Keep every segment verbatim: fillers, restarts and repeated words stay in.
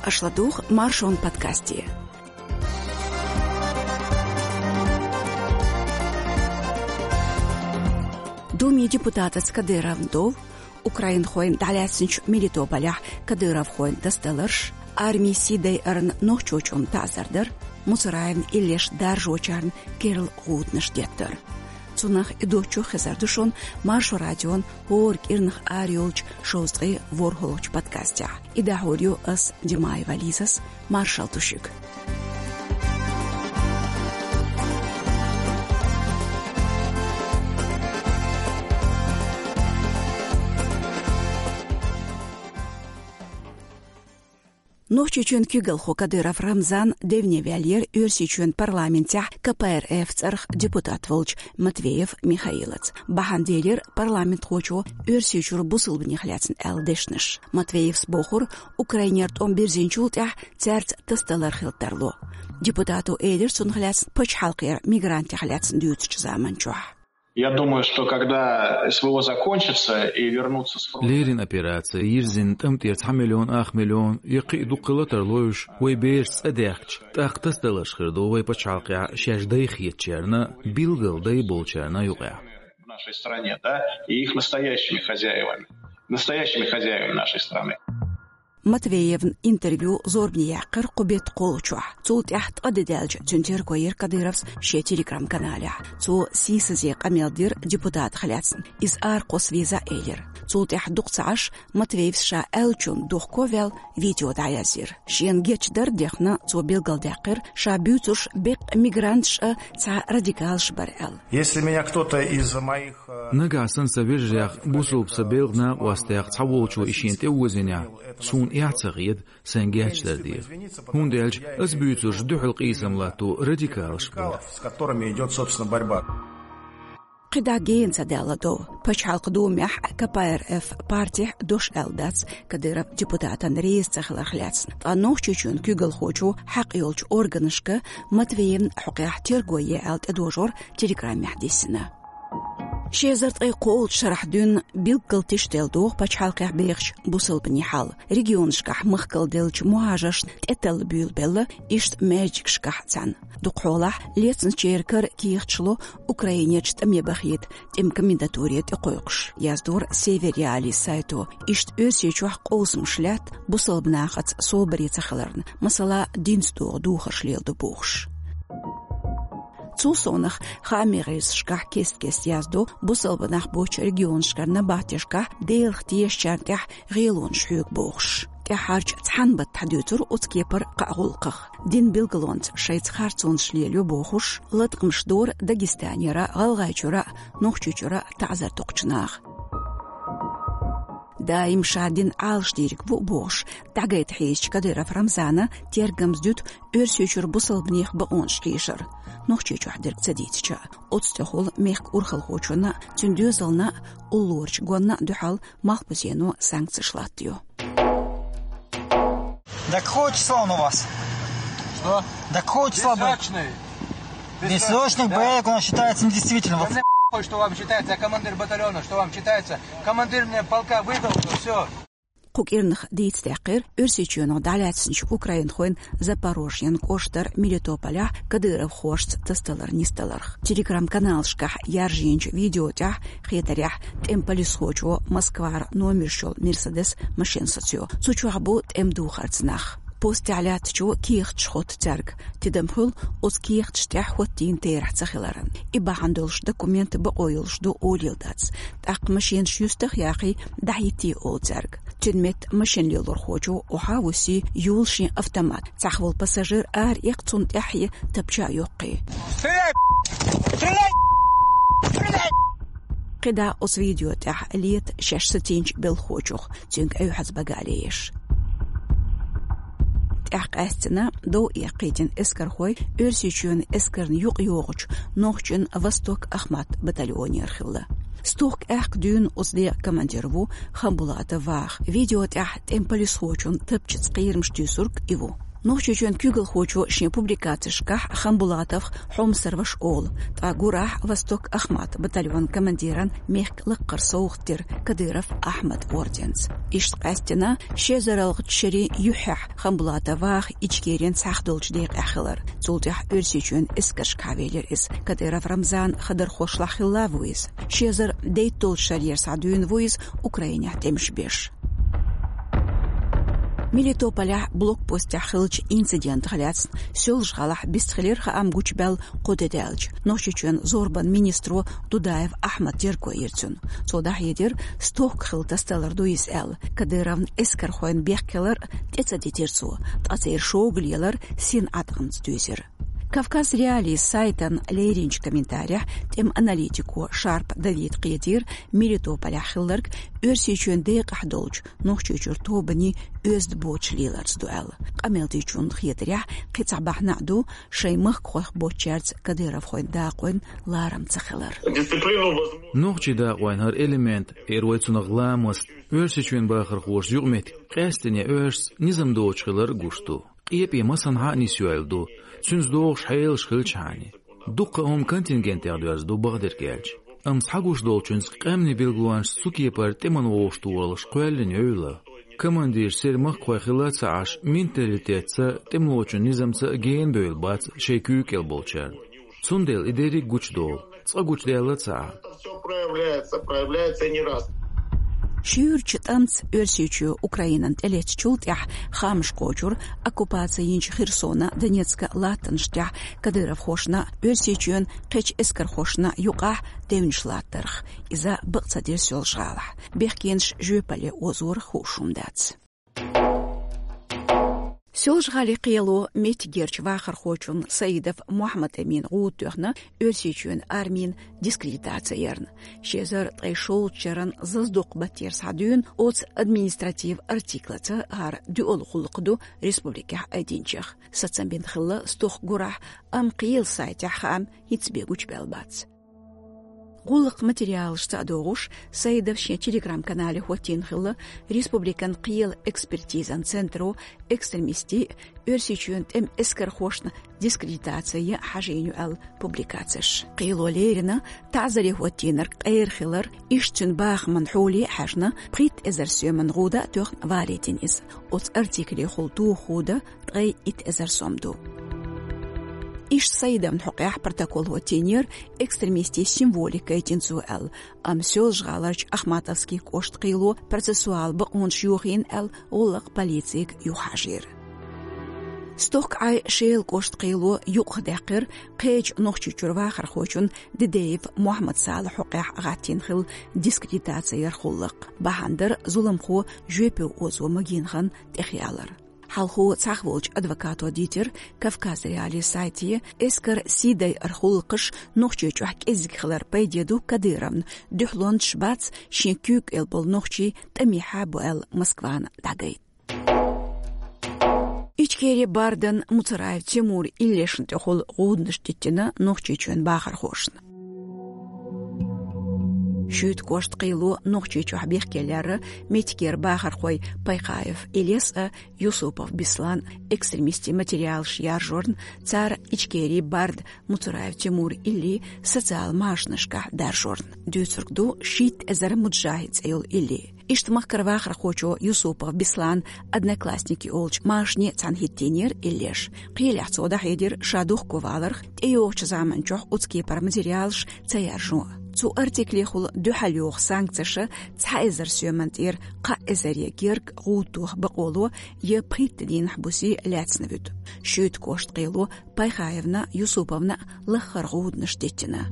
Аша ладугӀу Маршон подкасте. Думин депутатаца Кадыровна дов, украинхойн дӀалаьцначу Мелитополехь кадыровхойн тасадаларш, армин сий дайарна нохчочунна таӀзар дар, Муцураевн иллеш даржочарна керла гӀудамаш деттар. Цунах а, доцчух а хезар ду шуна Маршо радион хӀора кӀирнах арайолчу шовзткъе ворхӀалгӀачу подкастехь. И дӀахьур ю ас, Димаева Лизас, маршалла ду шуьга. Нохчийчоьнан куьйгалхо Кадыров Рамзан девне ваьллера Оьрсийчоьнан парламентехь К П Р Ф цӀарах депутат волчу Матвеев Михаилаца. Бахьана делира парламентхочо Оьрсийчуьра бусалбанех лаьцна аьлла дешнаш. Матвеевс бохура, Украинера тӀом бирзинчул тӀаьхьа цаьрца тасадалар хила тарло. Депутато элира цунах лаьцна пачхьалкхера мигрантех лаьцна дуьйцучу заманчохь. Я думаю, что когда С В О закончится и вернутся с фронта... Леррина операци, йирзина тӀам тӀера цхьа миллион, ах миллион, я кхин а дукха хила тарло уьш, вай бераш цӀа даьхкича, тӀаккха тасадаларш хир ду вай пачхьалкхехь шаьш дай хетачарна, билггал дай болчарна юкъахь. В нашей стране, да, и их настоящими хозяевами, настоящими хозяевами нашей страны. Матвеевн интервью зорбане яьккхира кху беттан кхоалгӀачохь. Цул тӀаьхьа ткъа де даьлча цуьнан терго йира Кадыровс шен Telegram-каналехь. Цо сийсазе къамел дира депутатах лаьцна. Иза аракхосса веза элира. Цул тӀаьхьа дукха ца Ӏаш, Матвеевс ша аьллачунна дохко а ваьлла, видео дӀаязйира. Шена гечдар а дехна, цо билгалдаьккхира, ша буьйцурш беккъа мигранташ а, цхьа радикалаш бара аьлла. Если меня кто-то из моих, э... Нагахь санна сан вежарех, бусалба сан белхан накъостех цхьаволчо и шена тӀе озийнехь, суна эхь ца хета сайн гечдар деха. ХӀунда аьлча ас буьйцурш дуьхьал къийсам латто радикалаш бара. С которыми идёт, собственно, борьба. КхидӀа гена ца даьлла дов. Пачхьалкхан Думехь К П Р Ф партехь дош аьлла дац Кадыров депутатан реза ца хиларх лаьцна. Ткъа Нохчийчоьнан куьйгалхочо хьакъ йолчу органашка Матвеевн хьокъехь терго е аьлла тӀедожор Telegram-ехь диссина. Ши эзар ткъе кхоалгӀачу шарахь дуьйна билггал тиштел доху пачхьалкхехь бехачу бусалбанийн хьал. Регионашкахь махкал деллачу мухӀажаршна тӀеталла буьйлабелла иштта маьждигашкахь цхьаьна. Дукхахьолахь лецначеран кара кехаташ ло Украинерчу тӀаме бахийта тӀеман комендатуре тӀекхойкхуш, яздора Север Реалии сайто. Иштта Оьрсийчохь къовсамаш лаьтта бусалба нахаца собаре ца хиларна, масала, динца догӀу духарш леладо бохуш. Цул совнаха хаамийн гӀирсашкахь кест-кеста яздо бусалба нах боцчу регионашкара набахтешкахь Делах тешачарна тӀехь гӀелонаш хьоьгу бохуш. ТӀаьххьарчу цхьана баттахь дуьйцура оцу кепара кхаа гӀуллакхах. Динан билгалонца шайца харцонаш лелайо бохуш, латкъамаш дора Дагестанера, ГӀалгӀайчуьра, Нохчийчуьра таӀзар доккхучу наха. Даим ша дин Ӏалашдийриг бу бохуш, дӀагайта хьийзачу Кадыров Рамзана тергамза дуьту Оьрсийчуьра бусалбанех бакъонаш хьийшар. Нохчийчохь дерг ца дийцича, оцу тӀехула мехкан урхалхочунна, цуьнан доьзална, уллорачу гонна дуьхьал малхбузено санкцеш латтайо. До какого числа он у вас? Что? До какого числа боевик? Бессрочный. Бессрочный боевик у нас считается недействительным. Да мне похуй, что вам считается, я командир батальона, что вам считается. Командир мне полка выдал, всё. Кху кӀирнах дийца даьккхира Оьрсийчоьнах дӀалаьцначу украинхойн Запорожьен кӀоштара Мелитополехь кадыровхошца тасадалар нисдаларх. Telegram-каналашкахь яржийначу видео тӀехь, хетарехь, тӀеман полисхочо Москвара номерш йолу Мерседес машина сацайо. Цу чохь бу тӀеман духарца нах. Постехь лаьттачо кехаташ хотту цаьрга. Тидам хуьлу оцу кехаташ тӀехь хӀоттийна терахь ца хиларан. И бахьана долуш документ бакъо йолуш ду олийла дац. ТӀаккха машенаш юьстах а яхий, дӀахӀиттий олу цаьрга. Цуьнан метта машина лелорхочо охьа а вуьсий, юла шен автомат. Цхьаъ волу пассажир ара эккха, цунна тӀаьхье тапча а йоккхий. Стреляй! Стреляй! Стреляй! КхидӀа оцу видео тӀехь лета шаьш сацийначу белхахочух, цуьнга Ӏуьйхьаза багале еш. ТӀаьхьа къаьстина, дов эккхийтина эскархой Оьрсийчоьнан эскарна юкъа йогӀучу нохчийн «Восток-Ахмат» батальонера хилла. Стохка аьхка дуьйна оцу декъан командир ву Хамбулатов Ваха. Видео тӀехь тӀеман полисхочун тапчаца кхерамаш туьйсург и ву. Нохчийчоьнан куьйгалхочо шен публикацешкахь Ханбулатовх Хьомсарваш олу, ткъа гурахь «Восток Ахмат» батальон командиран мехкан лакхара совгӀат дира Кадыров Ахьмад орденца. Иштта къаьстина ши эзар ялхитта шерийн юьххьехь Ханбулатов ваха Ичкерин цхьахдолчу декъехь хилар. Цул тӀаьхьа Оьрсийчоьнан эскаршкахь велира иза. Кадыров Рамзанан хадархошлахь хилла ву иза. Ши эзар дейтталгӀачу шарера схьа дуьйна ву иза Украинехь тӀемаш беш. Мелитополехь блокпостехь хиллачу инцидентах лаьцна Соьлжа-ГӀалахь бистхилира хаам гучубаьлла кхо де даьлча. Нохчийчоьнан зорбанан министро Дудаев Ахьмада терго йира цунна. Цо дӀахьедира, стохка хилла тасадалар ду иза аьлла. Кадыровн эскархойн бехк хилар тӀе ца дитира цо, ткъа церан шога лелар син Ӏаткъамца дуьйзира. Кавказ.Реалии сайтана леринчу комментарехь тӀеман аналитико Шарп Давида кхетийра Мелитополехь хилларг Оьрсийчоьнан декъахь долчу Нохчийчуьра тобанийн оьзда боцуш леларца ду аьлла. Къамел дечунна хетарехь, кхин цхьа бахьана а ду шайн махкахойх боцучаьрца кадыровхойн дакъойн ларам ца хилар. Нохчийн дакъойн хӀара элемент, эр вай цунах ламаст, Оьрсийчоьнан бахархоша юкъаметтиг къаьсттина оьшуш низам доцуш хилар гуш ду. Къепе масанхьа а нисйойла ду, цуьнца догӀуш хьелаш хилчхьана. Дуккха а хӀума контингентех доьзна ду, бакъдерг аьлча. Амма схьагуш долчуьнца къаьмнийн билгалонаш цу кепара тӀеман вовшахтохалуш кхоьллина йойла. Командирш церан махкахой хилла а ца Ӏаш, менталитетца а, тӀемалочун низамца а гена бевлла бац шайн куьйга кӀел болчарна. Цундела и дерриг а гучудолу, цкъа гучудаьлла а ца Ӏа. Всё проявляется, проявляется и не раз. Шуьйрачу тӀамца Оьрсийчоь Украинана тӀелеттачул тӀаьхьа хаамаш кхочура оккупаци йинчу Херсона, Донецка латтанаш тӀехь кадыровхошна а, Оьрсийчоьнан кхечу эскархошна а юкъахь девнаш латтарх. Иза бакъ ца дира Соьлжа-ГӀалахь. Бехкенаш жоьпалле озорах хууш хӀума дац. Соьлжа-ГӀалин кхело меттигерчу вахархочунна Саидов Мухьаммад-Эмина гӀуда тоьхна Оьрсийчоьнан армин дискредитаци ярна. Ши эзар ткъе шолгӀачу шеран зазадоккху баттера схьа дуьйна оцу административ артиклаца, хӀара дуьалгӀа гӀуллакх ду республикехь айдинчех. Сацам бина хилла стохка гурахь, амма кхелан сайтехь хаам хӀинца бен гучубаьлла бац. ГӀуллакхан материалашца а догӀуш, Саидов шен Telegram-канале хӀоттийна хилла республикан кхелан экспертизан центро экстремистийн а, Оьрсийчоьнан тӀеман эскархошна а дискредитаци ян хьажийна ю аьлла публикацеш. Кхело леррина, таӀзаре хӀоттийнарг къера хилар, иштта цуьнан бахаман хьоле а хьаьжна, пхийтта эзар соьман гӀуда а тоьхна валийтина иза. Оцу артиклехула туху хӀуда ткъе итт эзар сом ду. Иштта Саидовн хьокъехь протокол хӀоттийнера экстремистийн символика гайтина цо аьлла, амма Соьлжа-ГӀаларчу Ахматовски кӀоштан кхело процессуал бакъонаш йохийна аьлла, гӀуллакх полицига юхахьажийра. Стохка Ӏай Шелан кӀоштан кхело юкъахдаьккхира кхечу Нохчийчуьра вахархочунна Дидеев Мухьаммад-Салахьан хьокъехь гӀаттийна хилла дискредитаци яран гӀуллакх. Бахьана дара зуламхо жоьпе озо магийна хан тӀехъялар. Хьалхо цхьаьна волчу адвокато дийцира Кавказ.Реалии сайте, эскаран сий дайаран гӀуллакхаш Нохчийчохь кӀезиг хилар пайде ду Кадыровна, дуьхьалончаш бац шен куьйга кӀел болу нохчий тӀамехьа бу аьлла Москвана дӀагайта. Ичкерин бардан Муцараев Тимуран иллешна тӀехула гӀуданаш диттина Нохчийчоьнан бахархошна. Шуьйта кӀоштан кхело Нохчийчохь бехке лерра меттигера бахархой Пайхаев Илез а, Юсупов Беслан экстремистийн материалаш яржорна, цара Ичкерин барда Муцараев Тимуран илли социал машанашкахь даржорна. Дуьйцург ду шийтта эзар муджахӀид цӀе йолу илли. Иштта махкара вахархочо Юсупов Беслана «Одноклассники» олучу машане цхьаьна хӀиттийнера иллеш. Кхелехь цо дӀахьедира ша духковаларх, тӀейогӀучу заманчохь оцу кепара материалаш ца яржо. Цу артиклехула дуьхьал йогӀу санкцеша цхьа эзар соьман тӀера кхаа эзаре герга гӀуда тоха бакъо ло я пхийтта дийнахь буьйса лаьцна вуьту. Шуьйта кӀоштан кхело Пайхаевна, Юсуповна лаххара гӀуданаш диттина.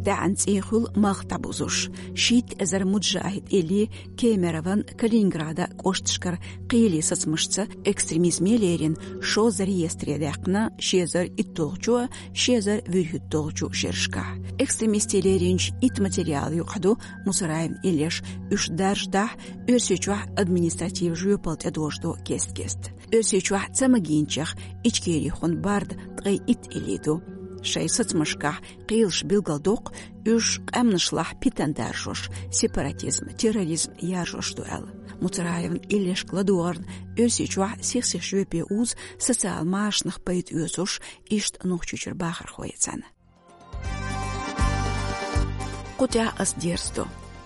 ТӀаьхьан цӀий хуьлу малх дӀабузуш. Шийтта эзар муджахӀид илли Кемерован, Калининградан кӀошташкара кхеле сацамашца экстремизме лерина шозза реестре даьккхина ши эзар итталгӀачу, ши эзар вуьрхӀитталгӀачу шерашкахь. Экстремистийн леринчу итт материала юкъахь ду Муцараевн иллеш, уьш даржадахь, Оьрсийчохь административ жоьпалла тӀедожадо кест-кеста. Оьрсийчохь ца магийначех Ичкерихула барда ткъе итт илли ду. Шайн сацамашкахь кхелаш билгалдоккху, уьш къаьмнашлахь питана даржош, сепаратизм, терроризм яржош ду аьлла. Муцараевна иллешка ладогӀарна Оьрсийчохь сих-сиха жоьпе узу социал машанах пайда оьцуш, иштта Нохчийчуьра бахархой цхьаьна. Кху тӀехь ас дерзадо.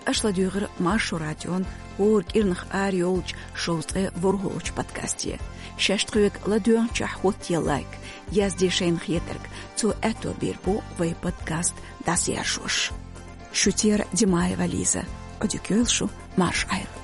Аша ладуьйгӀира Маршо радион хӀора кӀирнах арайолчу шовзткъе ворхӀалгӀачу подкасте. Шаьш тхоьга ладоьгӀначохь хӀоттае лайк, язде шайна хетарг, цо аьтто бийр бу вайн подкаст дӀасаяржош. Шуьца яра Димаева Лиза. Ӏодика йойла шу, марша Ӏайла.